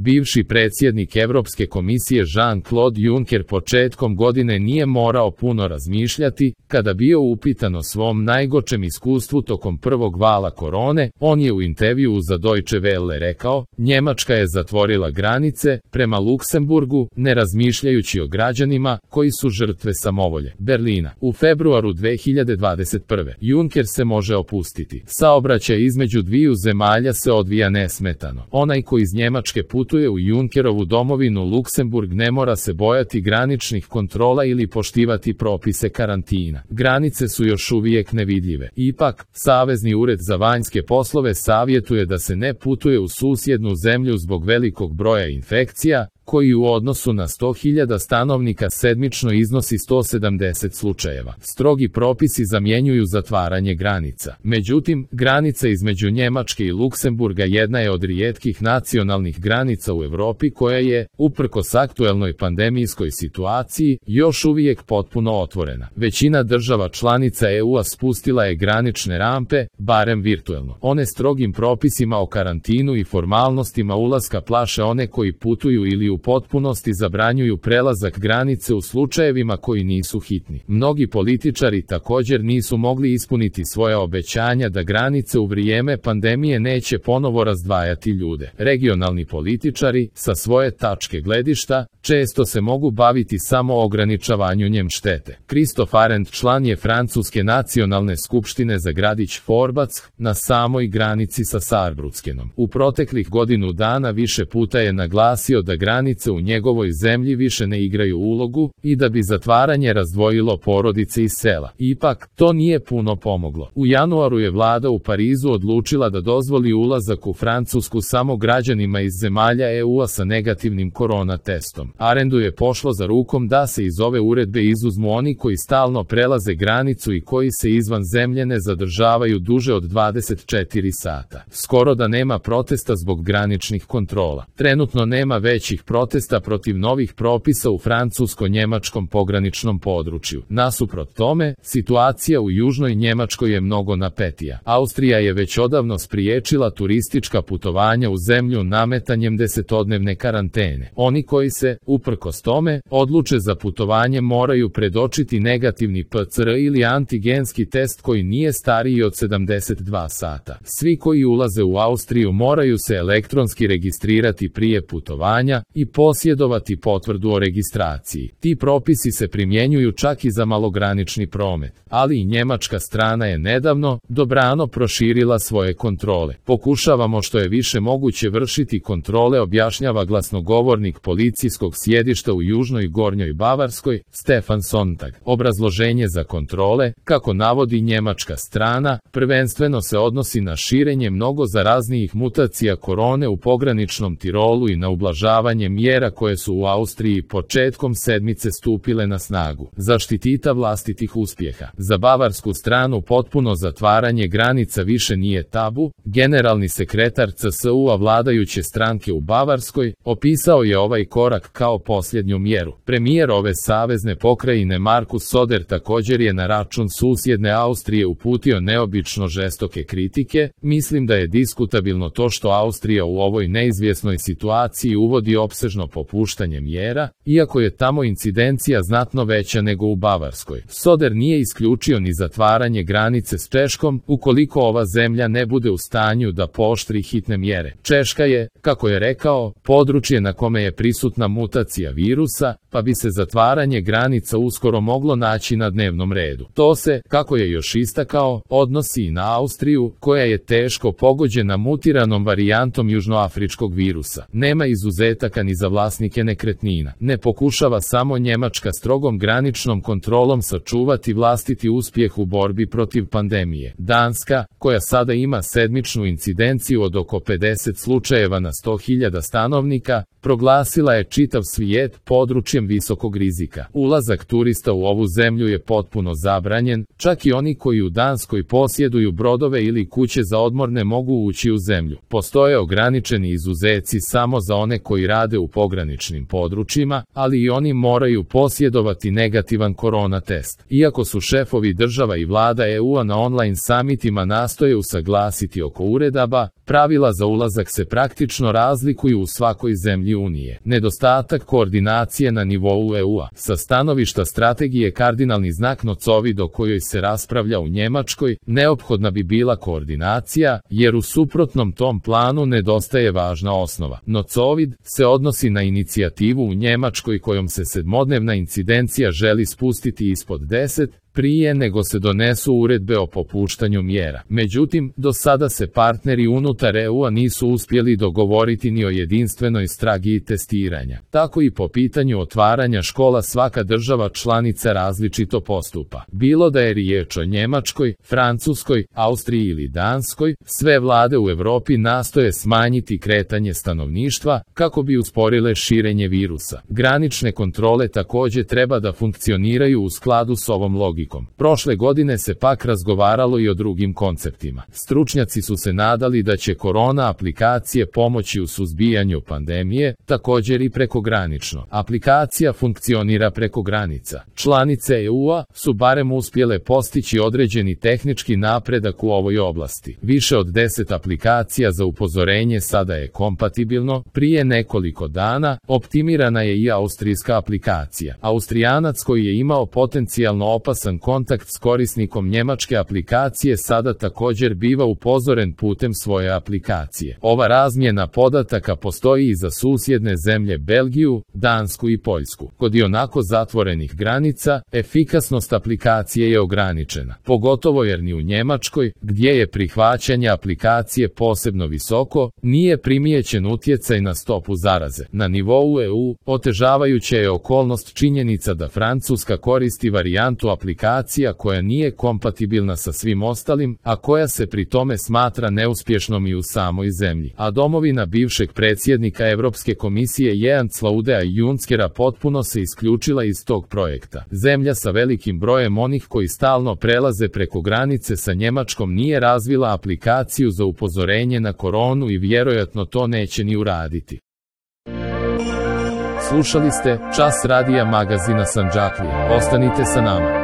Bivši predsjednik Europske komisije Jean-Claude Juncker početkom godine nije morao puno razmišljati, kada bio upitan o svom najgorčem iskustvu tokom prvog vala korone, on je u intervjuu za Deutsche Welle rekao: Njemačka je zatvorila granice prema Luksemburgu, ne razmišljajući o građanima koji su žrtve samovolje. Berlina. U februaru 2021. Juncker se može opustiti. Saobraćaj između dviju zemalja se odvija nesmetano. Onaj ko iz Njemačke putuje u Junckerovu domovinu Luksemburg ne mora se bojati graničnih kontrola ili poštivati propise karantina. Granice su još uvijek nevidljive. Ipak, Savezni ured za vanjske poslove savjetuje da se ne putuje u susjednu zemlju zbog velikog broja infekcija, koji u odnosu na 100.000 stanovnika sedmično iznosi 170 slučajeva. Strogi propisi zamjenjuju zatvaranje granica. Međutim, granica između Njemačke i Luksemburga jedna je od rijetkih nacionalnih granica u Europi koja je, uprkos aktuelnoj pandemijskoj situaciji, još uvijek potpuno otvorena. Većina država članica EU-a spustila je granične rampe, barem virtuelno. One strogim propisima o karantinu i formalnostima ulaska plaše one koji putuju ili u potpunosti zabranjuju prelazak granice u slučajevima koji nisu hitni. Mnogi političari također nisu mogli ispuniti svoja obećanja da granice u vrijeme pandemije neće ponovo razdvajati ljude. Regionalni političari, sa svoje tačke gledišta, često se mogu baviti samo ograničavanjem štete. Christophe Arend član je Francuske nacionalne skupštine za gradić Forbac, na samoj granici sa Saarbruckenom. U proteklih godinu dana više puta je naglasio da granice u njegovoj zemlji više ne igraju ulogu i da bi zatvaranje razdvojilo porodice iz sela. Ipak, to nije puno pomoglo. U januaru je vlada u Parizu odlučila da dozvoli ulazak u Francusku samo građanima iz zemalja EU-a sa negativnim korona testom. Arendu je pošlo za rukom da se iz ove uredbe izuzmu oni koji stalno prelaze granicu i koji se izvan zemlje ne zadržavaju duže od 24 sata. Skoro da nema protesta zbog graničnih kontrola. Trenutno nema većih protesta protiv novih propisa u francusko-njemačkom pograničnom području. Nasuprot tome, situacija u južnoj Njemačkoj je mnogo napetija. Austrija je već odavno spriječila turistička putovanja u zemlju nametanjem 10-dnevne karantene. Oni koji se, uprkos tome, odluče za putovanje moraju predočiti negativni PCR ili antigenski test koji nije stariji od 72 sata. Svi koji ulaze u Austriju moraju se elektronski registrirati prije putovanja i posjedovati potvrdu o registraciji. Ti propisi se primjenjuju čak i za malogranični promet, ali i njemačka strana je nedavno, dobrano proširila svoje kontrole. Pokušavamo što je više moguće vršiti kontrole, objašnjava glasnogovornik policijskog sjedišta u Južnoj Gornjoj Bavarskoj, Stefan Sontag. Obrazloženje za kontrole, kako navodi njemačka strana, prvenstveno se odnosi na širenje mnogo zaraznijih mutacija korone u pograničnom Tirolu i na ublažavanje mjera koje su u Austriji početkom sedmice stupile na snagu. Zaštitita vlastitih uspjeha. Za bavarsku stranu potpuno zatvaranje granica više nije tabu. Generalni sekretar CSU-a vladajuće stranke u Bavarskoj opisao je ovaj korak kao posljednju mjeru. Premijer ove savezne pokrajine Markus Söder također je na račun susjedne Austrije uputio neobično žestoke kritike. Mislim da je diskutabilno to što Austrija u ovoj neizvjesnoj situaciji uvodi opsežno popuštanje mjera, iako je tamo incidencija znatno veća nego u Bavarskoj. Söder nije isključio ni zatvaranje granice s Češkom, ukoliko ova zemlja ne bude u stanju da pooštri hitne mjere. Češka je, kako je rekao, područje na kome je prisutna mutacija virusa, pa bi se zatvaranje granica uskoro moglo naći na dnevnom redu. To se, kako je još istakao, odnosi i na Austriju, koja je teško pogođena mutiranom varijantom južnoafričkog virusa. Nema izuzetaka ni za vlasnike nekretnina. Ne pokušava samo Njemačka strogom graničnom kontrolom sačuvati vlastiti uspjeh u borbi protiv pandemije. Danska, koja sada ima sedmičnu incidenciju od oko 50 slučajeva na 100.000 stanovnika, proglasila je čitav svijet područjem visokog rizika. Ulazak turista u ovu zemlju je potpuno zabranjen, čak i oni koji u Danskoj posjeduju brodove ili kuće za odmor ne mogu ući u zemlju. Postoje ograničeni izuzeci samo za one koji rade u pograničnim područjima, ali i oni moraju posjedovati negativan korona test. Iako su šefovi država i vlada EU-a na online samitima nastoje usaglasiti oko uredaba, pravila za ulazak se praktično razlikuju u svakoj zemlji Unije. Nedostatak koordinacije na nivou EU-a. Sa stanovišta strategije kardinalni znak nocovid o kojoj se raspravlja u Njemačkoj, neophodna bi bila koordinacija, jer u suprotnom tom planu nedostaje važna osnova. Nocovid se odnosi na inicijativu u Njemačkoj kojom se sedmodnevna incidencija želi spustiti ispod 10, prije nego se donesu uredbe o popuštanju mjera. Međutim, do sada se partneri unutar EU-a nisu uspjeli dogovoriti ni o jedinstvenoj strategiji testiranja. Tako i po pitanju otvaranja škola svaka država članica različito postupa. Bilo da je riječ o Njemačkoj, Francuskoj, Austriji ili Danskoj, sve vlade u Europi nastoje smanjiti kretanje stanovništva kako bi usporile širenje virusa. Granične kontrole također treba da funkcioniraju u skladu s ovom logikom. Prošle godine se pak razgovaralo i o drugim konceptima. Stručnjaci su se nadali da će korona aplikacije pomoći u suzbijanju pandemije, također i prekogranično. Aplikacija funkcionira preko granica. Članice EU-a su barem uspjele postići određeni tehnički napredak u ovoj oblasti. Više od 10 aplikacija za upozorenje sada je kompatibilno. Prije nekoliko dana optimirana je i austrijska aplikacija. Austrijanac koji je imao potencijalno opasan kontakt s korisnikom njemačke aplikacije sada također biva upozoren putem svoje aplikacije. Ova razmjena podataka postoji i za susjedne zemlje Belgiju, Dansku i Poljsku. Kod ionako zatvorenih granica, efikasnost aplikacije je ograničena, pogotovo jer ni u Njemačkoj, gdje je prihvaćanje aplikacije posebno visoko, nije primijećen utjecaj na stopu zaraze. Na nivou EU, otežavajuća je okolnost činjenica da Francuska koristi varijantu aplikacija koja nije kompatibilna sa svim ostalim, a koja se pri tome smatra neuspješnom i u samoj zemlji. A domovina bivšeg predsjednika Europske komisije Jens Laudea Junckera potpuno se isključila iz tog projekta. Zemlja sa velikim brojem onih koji stalno prelaze preko granice sa Njemačkom nije razvila aplikaciju za upozorenje na koronu i vjerojatno to neće ni uraditi. Slušali ste Čas radija magazina Sandžaklije. Ostanite sa nama.